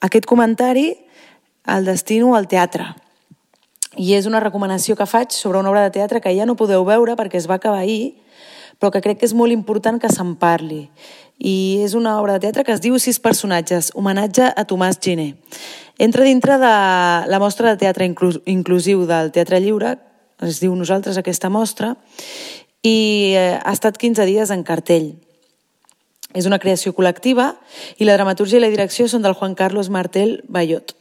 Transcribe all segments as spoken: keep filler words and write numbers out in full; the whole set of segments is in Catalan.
aquest comentari el destino al teatre. I és una recomanació que faig sobre una obra de teatre que ja no podeu veure perquè es va acabar ahir, però que crec que és molt important que se'n parli. I és una obra de teatre que es diu Sis personatges, homenatge a Tomàs Giner. Entra dintre de la mostra de teatre inclusiu del Teatre Lliure, es diu Nosaltres aquesta mostra, i ha estat quinze dies en cartell. És una creació col·lectiva i la dramatúrgia i la direcció són del Juan Carlos Martel Bayot.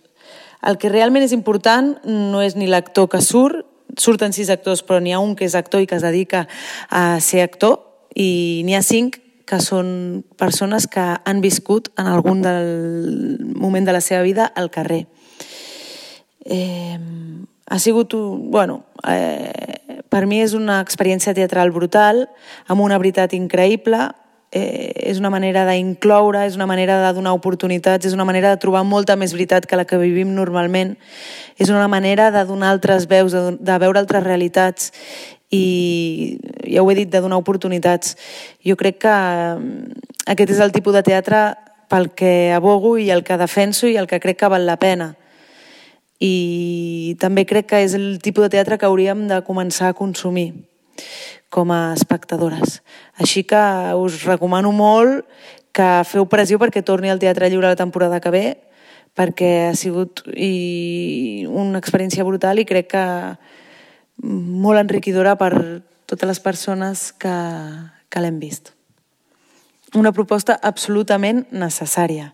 El que realment és important no és ni l'actor que surt, surten sis actors, però n'hi ha un que és actor i que es dedica a ser actor, i n'hi ha cinc que són persones que han viscut en algun del moment de la seva vida al carrer. Eh, ha sigut, bueno, eh, per mi és una experiència teatral brutal, amb una veritat increïble. Eh, és una manera d'incloure, és una manera de donar oportunitats, és una manera de trobar molta més veritat que la que vivim normalment, és una manera de donar altres veus, de, de veure altres realitats i, ja ho he dit, de donar oportunitats. Jo crec que aquest és el tipus de teatre pel que abogo i el que defenso i el que crec que val la pena. I també crec que és el tipus de teatre que hauríem de començar a consumir com a espectadores. Així que us recomano molt que feu pressió perquè torni al Teatre Lliure la temporada que ve, perquè ha sigut i una experiència brutal i crec que molt enriquidora per totes les persones que, que l'hem vist. Una proposta absolutament necessària.